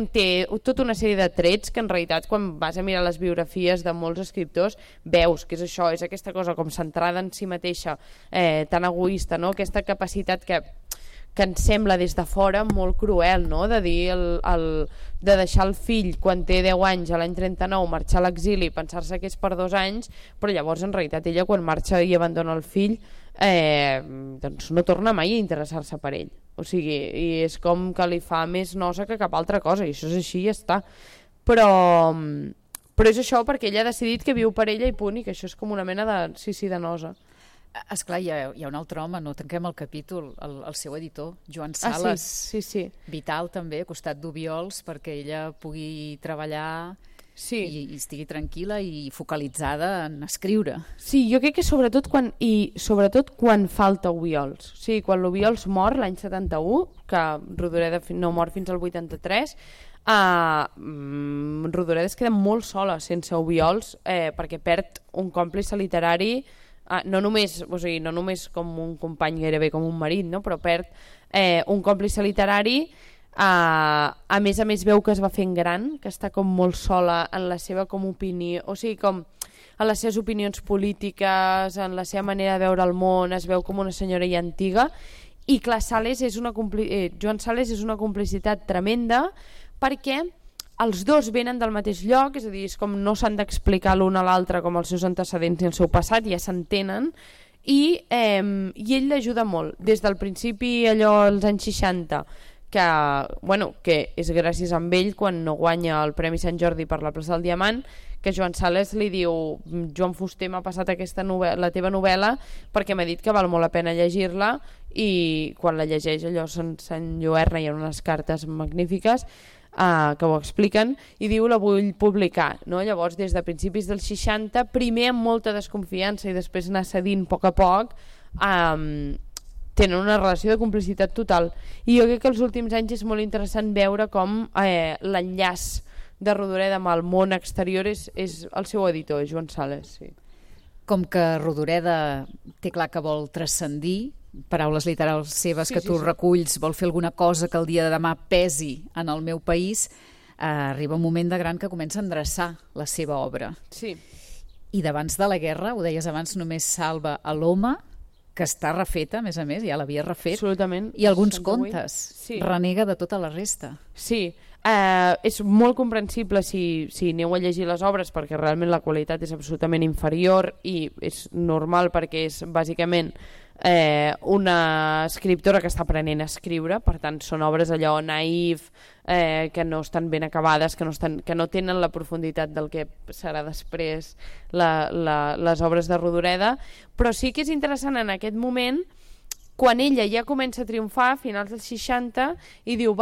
tota una sèrie de trets que en realitat quan vas a mirar les biografies de molts escriptors veus que és això, és aquesta cosa com centrada en si mateixa, tan egoista, no? Aquesta capacitat que ens sembla des de fora molt cruel, no? De dir de deixar el fill quan té 10 anys a l'any 39, marxar a l'exili, pensar-se que és per 2 anys, però llavors en realitat ella quan marxa i abandona el fill doncs no torna mai a interessar-se per ell, o sigui, i és com que li fa més nosa que cap altra cosa, i això és així i ja està, però és això perquè ella ha decidit que viu per ella i punt, i que això és com una mena de nosa. Esclar, hi ha un altre home, no tanquem el capítol, el seu editor, Joan Sales, sí. Vital també, a costat d'Obiols, perquè ella pugui treballar i estigui tranquil·la i focalitzada en escriure. Sí, jo crec que sobretot quan falta Obiols, o sigui, quan l'Obiols mor l'any 71, que Rodoreda no mor fins al 83, Rodoreda es queda molt sola sense Obiols, perquè perd un còmplice literari, no només com un company, gairebé com un marit, no? Però perd un còmplice literari, a més veu que es va fent gran, que està com molt sola en la seva com opinió, o sigui, com en les seves opinions polítiques, en la seva manera de veure el món, es veu com una senyora ja antiga, i clar, Joan Sales és una complicitat tremenda, perquè els dos venen del mateix lloc, és a dir, és com no s'han d'explicar l'un a l'altre com els seus antecedents ni el seu passat, ja s'entenen, i ell l'ajuda molt. Des del principi, allò als anys 60, que és gràcies a ell quan no guanya el Premi Sant Jordi per la plaça del Diamant, que Joan Sales li diu: Joan Fuster m'ha passat la teva novel·la perquè m'ha dit que val molt la pena llegir-la, i quan la llegeix allò s'enlluerna, hi ha unes cartes magnífiques que ho expliquen, i diu la vull publicar, no? Llavors des de principis dels 60, primer amb molta desconfiança i després anar cedint a poc, tenen una relació de complicitat total, i jo crec que els últims anys és molt interessant veure com l'enllaç de Rodoreda amb el món exterior és el seu editor, Joan Sales. Sí. Com que Rodoreda té clar que vol transcendir, paraules literals seves que tu reculls, vol fer alguna cosa que el dia de demà pesi en el meu país, arriba un moment de gran que comença a endreçar la seva obra. Sí. I d'abans de la guerra, ho deies abans, només salva a l'Home, que està refeta, a més, ja l'havia refet. Absolutament. I alguns contes. Sí. Renega de tota la resta. Sí. És molt comprensible si aneu a llegir les obres, perquè realment la qualitat és absolutament inferior, i és normal perquè és bàsicament una escriptora que està aprenent a escriure, per tant són obres allò naïf, que no estan ben acabades, que no tenen la profunditat del que serà després les obres de Rodoreda, però sí que és interessant en aquest moment quan ella ja comença a triomfar a finals dels 60 i diu,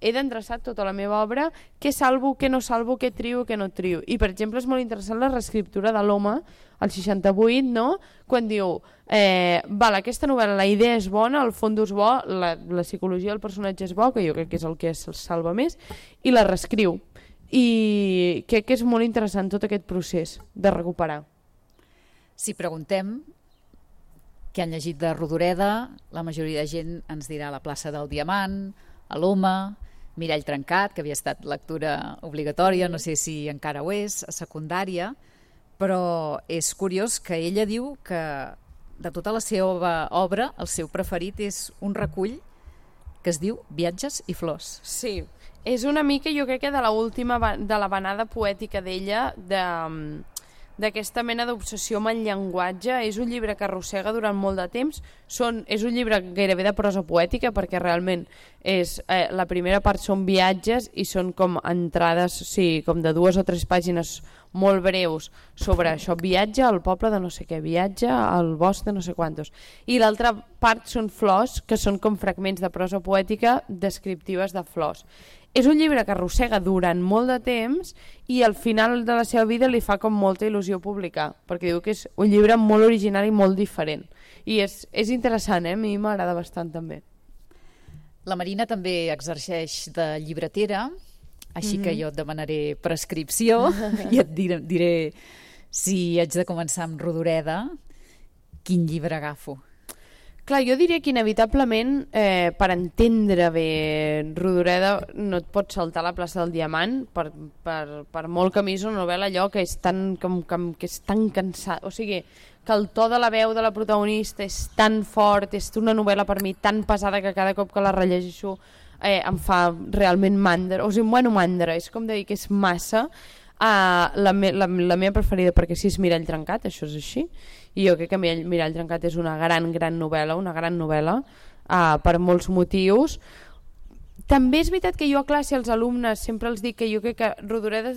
he d'endreçar tota la meva obra, què salvo, què no salvo, què trio, què no trio. I, per exemple, és molt interessant la reescriptura de l'Home, al 68, no? Quan diu, aquesta novel·la, la idea és bona, el fons és bo, la psicologia del personatge és bo, que jo crec que és el que se'l salva més, i la reescriu. I crec que és molt interessant tot aquest procés de recuperar. Si preguntem què han llegit de Rodoreda, la majoria de gent ens dirà La plaça del Diamant, a l'Home, Mirall trencat, que havia estat lectura obligatòria, no sé si encara ho és, a secundària, però és curiós que ella diu que de tota la seva obra el seu preferit és un recull que es diu Viatges i flors. Sí, és una mica, jo crec que de la vanada poètica d'ella, d'aquesta mena d'obsessió amb el llenguatge. És un llibre que arrossega durant molt de temps, és un llibre gairebé de prosa poètica, perquè realment la primera part són viatges i són com entrades, com de 2 o 3 pàgines molt breus sobre això, viatge al poble de no sé què, viatge al bosc de no sé quantos, i l'altra part són flors, que són com fragments de prosa poètica descriptives de flors. És un llibre que arrossega durant molt de temps i al final de la seva vida li fa com molta il·lusió publicar, perquè diu que és un llibre molt original i molt diferent. I és interessant, a mi m'agrada bastant també. La Marina també exerceix de llibretera així que jo et demanaré prescripció i et diré si haig de començar amb Rodoreda, quin llibre agafo. Clar, jo diria que inevitablement, per entendre bé Rodoreda, no et pots saltar la plaça del Diamant, per molt que a mi és una novel·la allò que és tan cansat, o sigui, que el to de la veu de la protagonista és tan fort, és una novel·la per mi tan pesada que cada cop que la rellegeixo em fa realment mandra, o sigui, mandra, és com de dir que és massa. La meva preferida perquè sí és Mirall trencat, això és així, i jo crec que Mirall trencat és una gran novel·la per molts motius. També és veritat que jo a classe als alumnes sempre els dic que jo crec que Rodoreda,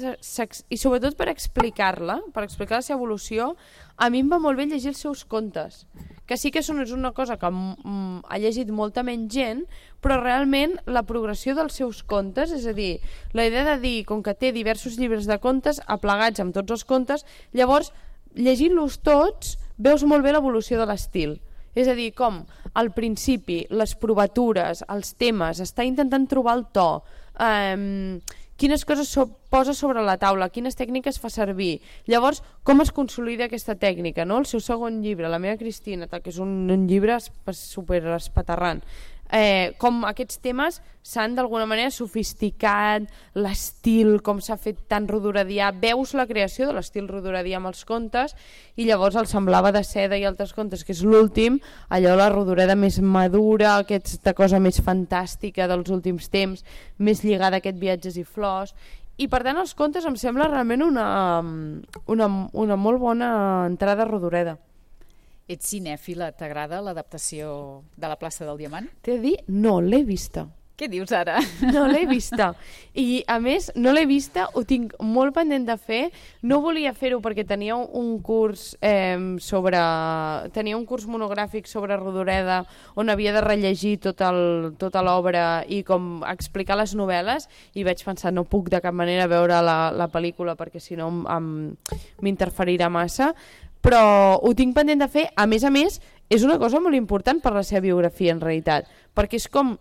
i sobretot per explicar-la, per explicar la seva evolució, a mi em va molt bé llegir els seus contes, que sí que és una cosa que ha llegit molta menys gent, però realment la progressió dels seus contes, és a dir, la idea de dir, com que té diversos llibres de contes aplegats amb tots els contes, llavors llegint-los tots veus molt bé l'evolució de l'estil. És a dir, com al principi, les provatures, els temes, està intentant trobar el to, quines coses posa sobre la taula, quines tècniques fa servir. Llavors, com es consolida aquesta tècnica, no? El seu segon llibre, La meva Cristina, que és un llibre super espaterrant. Com aquests temes s'han d'alguna manera sofisticat, l'estil, com s'ha fet tan rodoredià, veus la creació de l'estil rodoredià amb els contes, i llavors el Semblava de seda i altres contes, que és l'últim, allò la Rodoreda més madura, aquesta cosa més fantàstica dels últims temps, més lligada a aquest Viatges i flors, i per tant els contes em sembla realment una molt bona entrada a Rodoreda. Ets cinèfila, t'agrada l'adaptació de La plaça del Diamant? T'he de dir, no l'he vista. Què dius ara? No l'he vista. I a més, no l'he vista, ho tinc molt pendent de fer. No volia fer-ho perquè tenia un curs tenia un curs monogràfic sobre Rodoreda on havia de rellegir tota l'obra i com explicar les novel·les, i vaig pensar, no puc de cap manera veure la pel·lícula perquè si no m'interferirà massa, però ho tinc pendent de fer. A més, és una cosa molt important per la seva biografia en realitat, perquè és com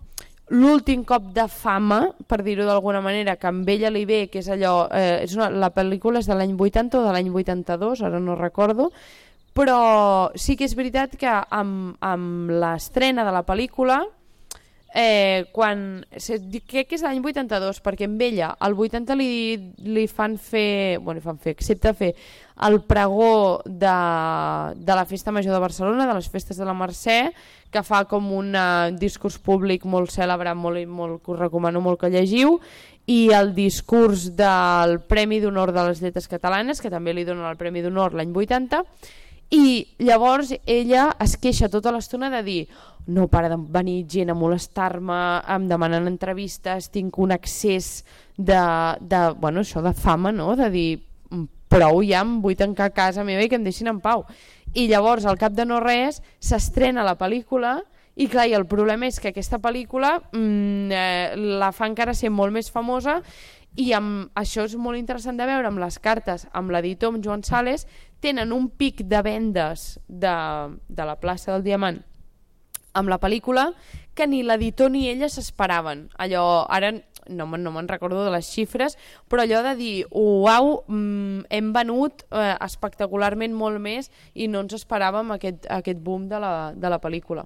l'últim cop de fama, per dir-ho d'alguna manera, que amb ella li ve, que és allò, la pel·lícula és de l'any 80 o de l'any 82, ara no recordo, però sí que és veritat que amb l'estrena de la pel·lícula, crec que és l'any 82, perquè amb ella el 80 li fan fer, accepta fer el pregó de la Festa Major de Barcelona, de les Festes de la Mercè, que fa com un discurs públic molt cèlebre, molt, que us recomano molt que llegiu, i el discurs del Premi d'Honor de les Lletres Catalanes, que també li donen el Premi d'Honor l'any 80, i llavors ella es queixa tota l'estona de dir no para de venir gent a molestar-me, em demanen entrevistes, tinc un excés de fama, no? De dir prou ja, em vull tancar a casa meva i que em deixin en pau. I llavors, al cap de no res, s'estrena la pel·lícula i clar, i el problema és que aquesta pel·lícula la fa encara ser molt més famosa, i això és molt interessant de veure amb les cartes, amb l'editor, amb Joan Sales, tenen un pic de vendes de la plaça del Diamant amb la pel·lícula que ni l'editor ni ella s'esperaven. Allò, ara no me'n recordo de les xifres, però allò de dir, uau, hem venut espectacularment molt més i no ens esperàvem aquest boom de la pel·lícula.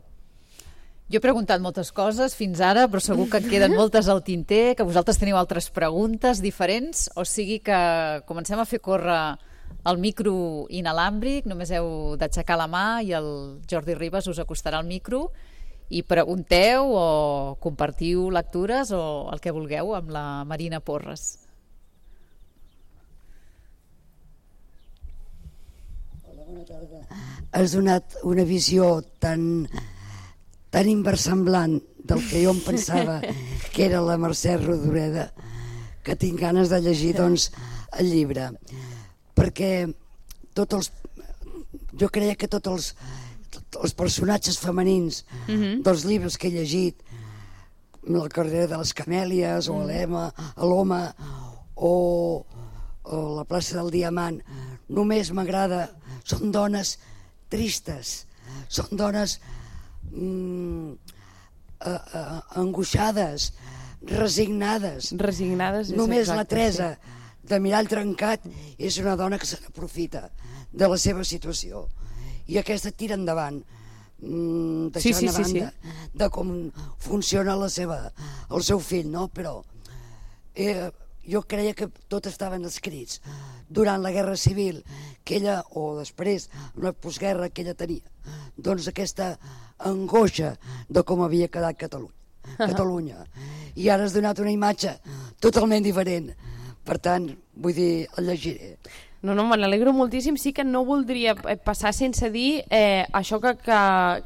Jo he preguntat moltes coses fins ara, però segur que en queden moltes al tinter, que vosaltres teniu altres preguntes diferents, o sigui que comencem a fer córrer el micro inalàmbric, només heu d'aixecar la mà i el Jordi Ribas us acostarà al micro i pregunteu o compartiu lectures o el que vulgueu amb la Marina Porres. Hola, bona tarda. Has donat una visió tan inversemblant del que jo em pensava que era la Mercè Rodoreda, que tinc ganes de llegir doncs el llibre, perquè jo creia que tots els personatges femenins dels llibres que he llegit, La carrera de les camèlies o l'home o La plaça del Diamant, només m'agrada, són dones tristes, són dones angoixades, resignades. Resignades és Només exacte, la Teresa de Mirall Trencat és una dona que se n'aprofita de la seva situació. I aquesta tira endavant, deixant a banda de com funciona el seu fill, no? Però jo creia que tot estaven escrits durant la Guerra Civil, que ella, o després, una postguerra que ella tenia, doncs aquesta angoixa de com havia quedat Catalunya. I ara has donat una imatge totalment diferent. Per tant, vull dir, el llegiré. No, me n'alegro moltíssim. Sí que no voldria passar sense dir això que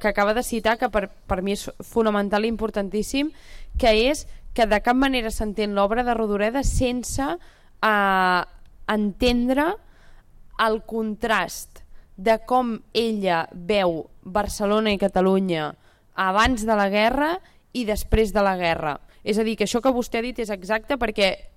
acaba de citar, que per mi és fonamental i importantíssim, que és que de cap manera s'entén l'obra de Rodoreda sense entendre el contrast de com ella veu Barcelona i Catalunya abans de la guerra i després de la guerra. És a dir, que això que vostè ha dit és exacte, perquè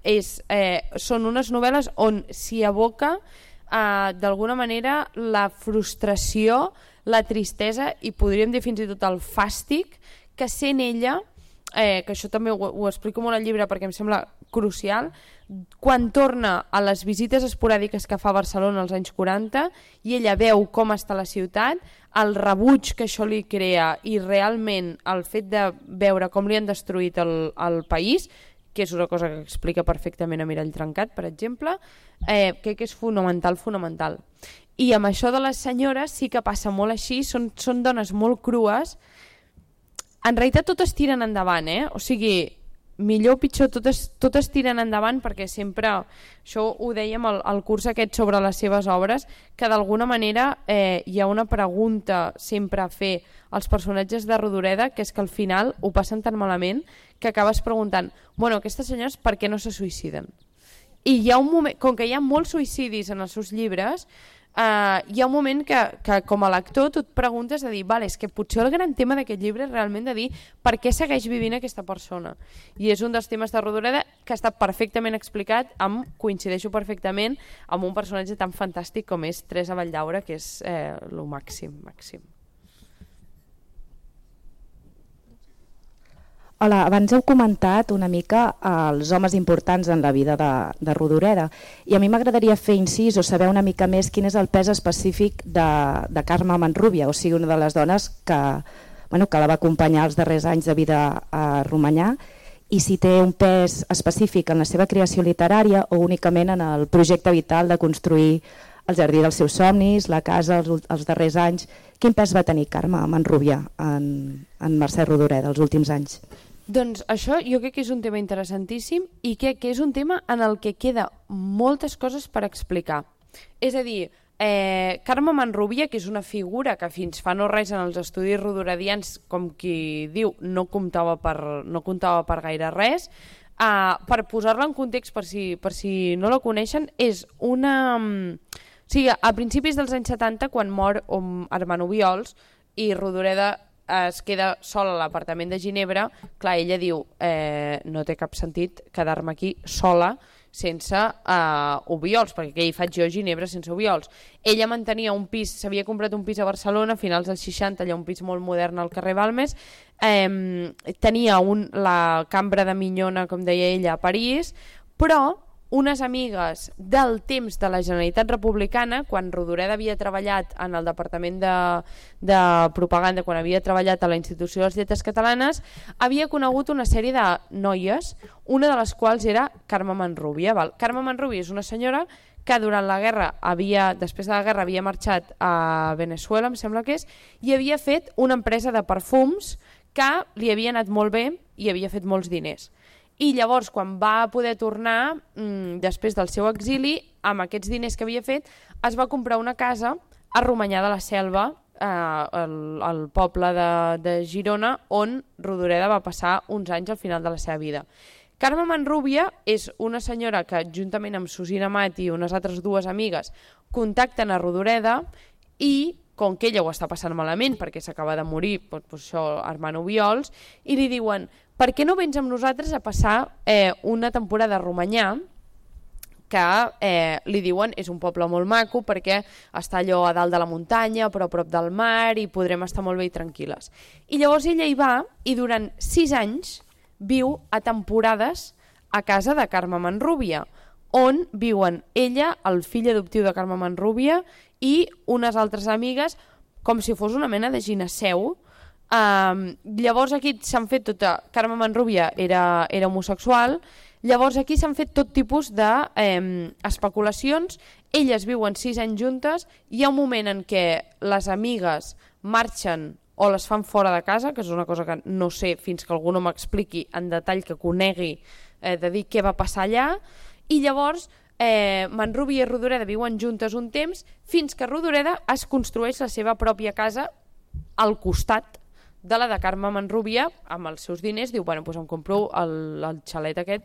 són unes novel·les on s'hi aboca d'alguna manera la frustració, la tristesa i podríem dir fins i tot el fàstic que sent ella, que això també ho explico molt al llibre perquè em sembla crucial, quan torna a les visites esporàdiques que fa a Barcelona als anys 40 i ella veu com està la ciutat, el rebuig que això li crea i realment el fet de veure com li han destruït el país, que és una cosa que explica perfectament a Mirall Trencat, per exemple, crec que és fonamental. I amb això de les senyores sí que passa molt així, són dones molt crues. En realitat totes tiren endavant, o sigui, millor o pitjor, totes tiren endavant, perquè sempre, això ho dèiem al curs aquest sobre les seves obres, que d'alguna manera hi ha una pregunta sempre a fer als personatges de Rodoreda, que és que al final ho passen tan malament que acabes preguntant, bueno, aquestes senyores per què no se suïciden? I hi ha un moment, com que hi ha molts suïcidis en els seus llibres, hi ha un moment que com a lector tu et preguntes de dir, vale, és que potser el gran tema d'aquest llibre és realment de dir per què segueix vivint aquesta persona. I és un dels temes de Rodoreda que està perfectament explicat, coincideixo perfectament amb un personatge tan fantàstic com és Teresa Valldaura, que és el màxim. Hola, abans heu comentat una mica els homes importants en la vida de Rodoreda i a mi m'agradaria fer incís o saber una mica més quin és el pes específic de Carme Manrubia, o sigui, una de les dones que la va acompanyar els darrers anys de vida a Romanyà, i si té un pes específic en la seva creació literària o únicament en el projecte vital de construir el jardí dels seus somnis, la casa, els darrers anys. Quin pes va tenir Carme Manrubia en Mercè Rodoreda els últims anys? Doncs això jo crec que és un tema interessantíssim i crec que és un tema en el que queda moltes coses per explicar. És a dir, Carme Manrubia, que és una figura que fins fa no res en els estudis rodoredians, com qui diu, no comptava per gaire res, per posar-la en context, per si no la coneixen, és una... O sigui, a principis dels anys 70, quan mor Armand Obiols i Rodoreda es queda sola a l'apartament de Ginebra, clar, ella diu, no té cap sentit quedar-me aquí sola sense Obiols, perquè què hi faig jo a Ginebra sense Obiols? Ella mantenia un pis, s'havia comprat un pis a Barcelona a finals dels 60, allà un pis molt modern al carrer Balmes, tenia la cambra de minyona, com deia ella, a París, però unes amigues del temps de la Generalitat Republicana, quan Rodoreda havia treballat en el Departament de Propaganda, quan havia treballat a la Institució de les Lletres Catalanes, havia conegut una sèrie de noies, una de les quals era Carme Manrubia. Carme Manrubia és una senyora que durant la guerra, després de la guerra, havia marxat a Venezuela, em sembla que és, i havia fet una empresa de perfums que li havia anat molt bé i havia fet molts diners. I llavors, quan va poder tornar, després del seu exili, amb aquests diners que havia fet, es va comprar una casa a Romanyà de la Selva, al poble de Girona, on Rodoreda va passar uns anys al final de la seva vida. Carme Manrubia és una senyora que, juntament amb Susina Mat i unes altres dues amigues, contacten a Rodoreda i, com que ella ho està passant malament, perquè s'acaba de morir, Armand Obiols, i li diuen, per què no vens amb nosaltres a passar una temporada a Romanyà, que li diuen és un poble molt maco perquè està allò a dalt de la muntanya, però a prop del mar, i podrem estar molt bé i tranquil·les. I llavors ella hi va i durant 6 anys viu a temporades a casa de Carme Manrubia, on viuen ella, el fill adoptiu de Carme Manrubia i unes altres amigues, com si fos una mena de gineceu. Llavors aquí s'han fet tota... Carme Manrubia era homosexual, llavors aquí s'han fet tot tipus d'especulacions. Elles viuen 6 anys juntes, hi ha un moment en què les amigues marxen o les fan fora de casa, que és una cosa que no sé fins que algú no m'expliqui en detall, que conegui, de dir què va passar allà, i llavors Manrubia i Rodoreda viuen juntes un temps fins que Rodoreda es construeix la seva pròpia casa al costat de la de Carme Manrubia, amb els seus diners, diu, bueno, doncs em compro el xalet aquest,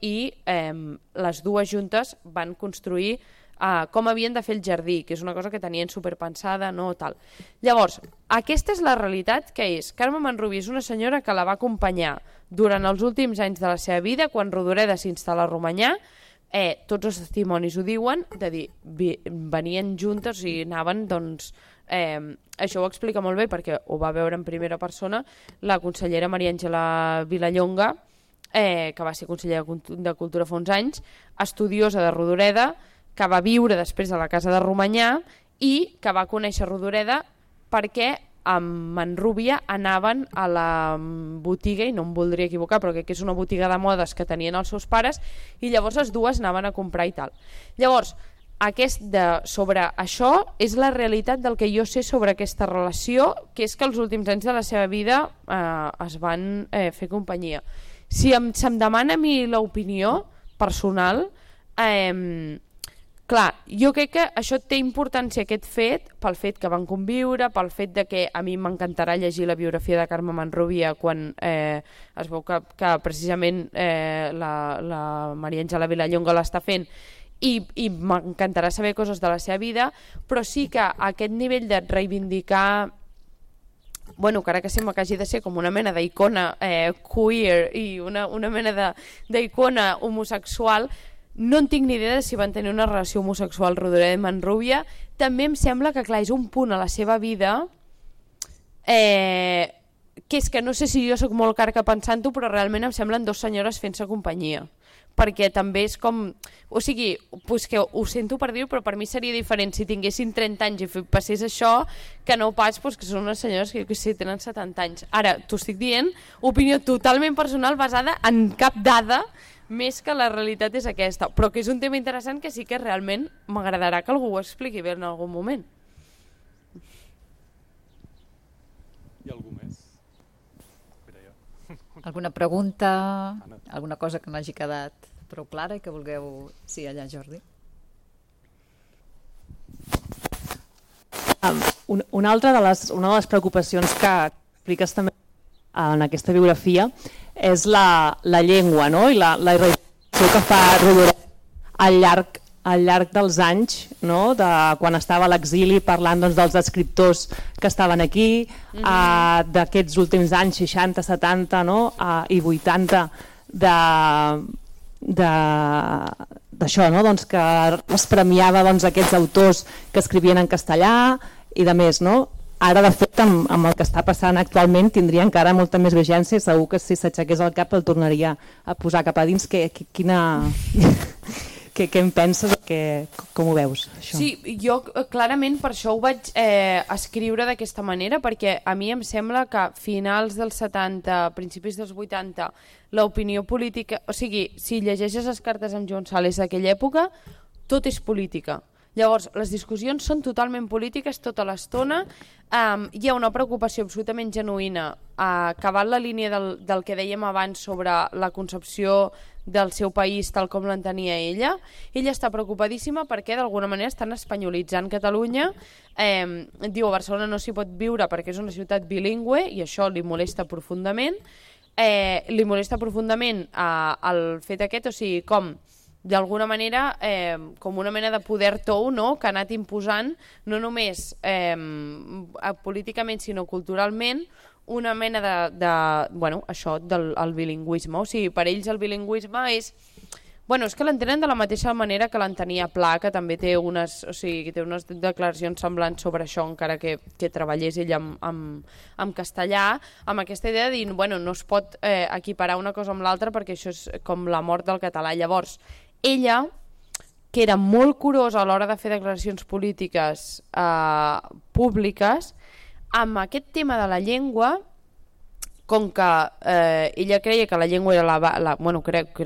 i les dues juntes van construir com havien de fer el jardí, que és una cosa que tenien superpensada, no tal. Llavors, aquesta és la realitat que és. Carme Manrubia és una senyora que la va acompanyar durant els últims anys de la seva vida, quan Rodoreda s'instal·la a Romanyà, tots els testimonis ho diuen, de dir, venien juntes i anaven, doncs, això ho explica molt bé perquè ho va veure en primera persona la consellera Maria Àngela Vilallonga, que va ser consellera de Cultura fa uns anys, estudiosa de Rodoreda, que va viure després a la casa de Romanyà i que va conèixer Rodoreda perquè amb Manrubia anaven a la botiga, i no em voldria equivocar, però crec que és una botiga de modes que tenien els seus pares, i llavors les dues anaven a comprar i tal. Llavors, sobre això és la realitat del que jo sé sobre aquesta relació, que és que els últims anys de la seva vida es van fer companyia. Si se'm demana a mi l'opinió personal, clar, jo crec que això té importància, aquest fet, pel fet que van conviure, pel fet de que a mi m'encantarà llegir la biografia de Carme Manrubia quan es veu que precisament la Maria Àngela Vilallonga l'està fent, i m'encantarà saber coses de la seva vida, però sí que aquest nivell de reivindicar, bueno, que ara que sembla que hagi de ser com una mena d'icona queer i una mena d'icona homosexual, no en tinc ni idea de si van tenir una relació homosexual Rodoreda i Manrubia. També em sembla que, clar, és un punt a la seva vida que és que no sé si jo sóc molt carca pensant-ho, però realment em semblen dues senyores fent-se companyia, perquè també és com... O sigui, pues que ho sento per dir-ho, però per mi seria diferent si tinguessin 30 anys i passés això, que no pas pues, que són unes senyores que jo que sé, tenen 70 anys. Ara, t'ho estic dient, opinió totalment personal basada en cap dada, més que la realitat és aquesta, però que és un tema interessant que sí que realment m'agradarà que algú ho expliqui bé en algun moment. Hi ha algú més? Alguna pregunta, alguna cosa que no hagi quedat prou clara i que vulgueu... Sí, allà, Jordi. Una de les preocupacions que expliques també en aquesta biografia és la llengua, no? I la irradiació que fa Rodoreda al llarg dels anys, no? De quan estava a l'exili parlant doncs, dels escriptors que estaven aquí, d'aquests últims anys 60, 70 no? I 80 d'això, no? Doncs que es premiava doncs, aquests autors que escrivien en castellà i de més, no? Ara, de fet, amb el que està passant actualment tindria encara molta més vigència i segur que si s'aixequés el cap el tornaria a posar cap a dins. Què en penses? Com ho veus, això? Sí, jo clarament per això ho vaig escriure d'aquesta manera, perquè a mi em sembla que a finals dels 70, principis dels 80, l'opinió política... O sigui, si llegeixes les cartes amb Joan Sales d'aquella època, tot és política. Llavors, les discussions són totalment polítiques tota l'estona. Hi ha una preocupació absolutament genuïna, que va en la línia del que dèiem abans sobre la concepció del seu país tal com l'entenia ella. Ella està preocupadíssima perquè d'alguna manera estan espanyolitzant Catalunya. Diu, a Barcelona no s'hi pot viure perquè és una ciutat bilingüe i això li molesta profundament. Li molesta profundament el fet aquest, o sigui, com d'alguna manera com una mena de poder tou, no? Que ha anat imposant no només políticament sinó culturalment una mena bueno, això del bilingüisme. O sigui, per ells el bilingüisme és Bueno, és que l'entenen de la mateixa manera que l'entenia Pla, que també té unes, o sigui, té unes declaracions semblants sobre això, encara que treballés ell en castellà, amb aquesta idea de dir, bueno, no es pot equiparar una cosa amb l'altra perquè això és com la mort del català. Llavors, ella, que era molt curosa a l'hora de fer declaracions polítiques públiques, amb aquest tema de la llengua, com que ella creia que la llengua era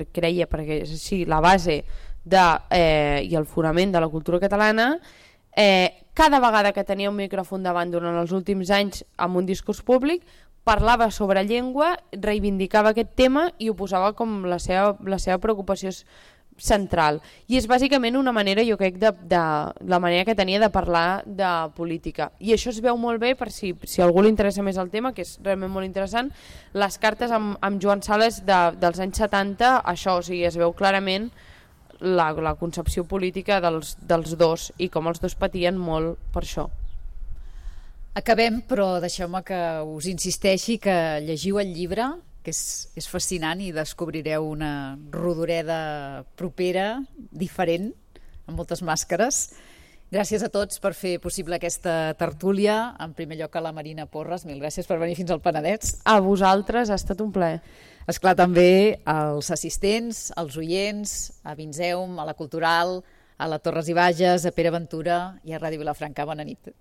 creia perquè sí, la base i el fonament de la cultura catalana, cada vegada que tenia un micròfon davant durant els últims anys amb un discurs públic, parlava sobre llengua, reivindicava aquest tema i ho posava com la seva preocupació central. I és bàsicament una manera, jo crec, de la manera que tenia de parlar de política. I això es veu molt bé, per si a algú li interessa més el tema, que és realment molt interessant, les cartes amb Joan Sales dels anys 70, això, o sigui, es veu clarament la concepció política dels dos i com els dos patien molt per això. Acabem, però deixeu-me que us insisteixi que llegiu el llibre, que és fascinant, i descobrireu una Rodoreda propera, diferent, amb moltes màscares. Gràcies a tots per fer possible aquesta tertúlia. En primer lloc a la Marina Porres, mil gràcies per venir fins al Penedès. A vosaltres, ha estat un plaer. Esclar, també als assistents, als oients, a Vinzeum, a la Cultural, a la Torres i Bages, a Pere Ventura i a Ràdio Vilafranca. Bona nit.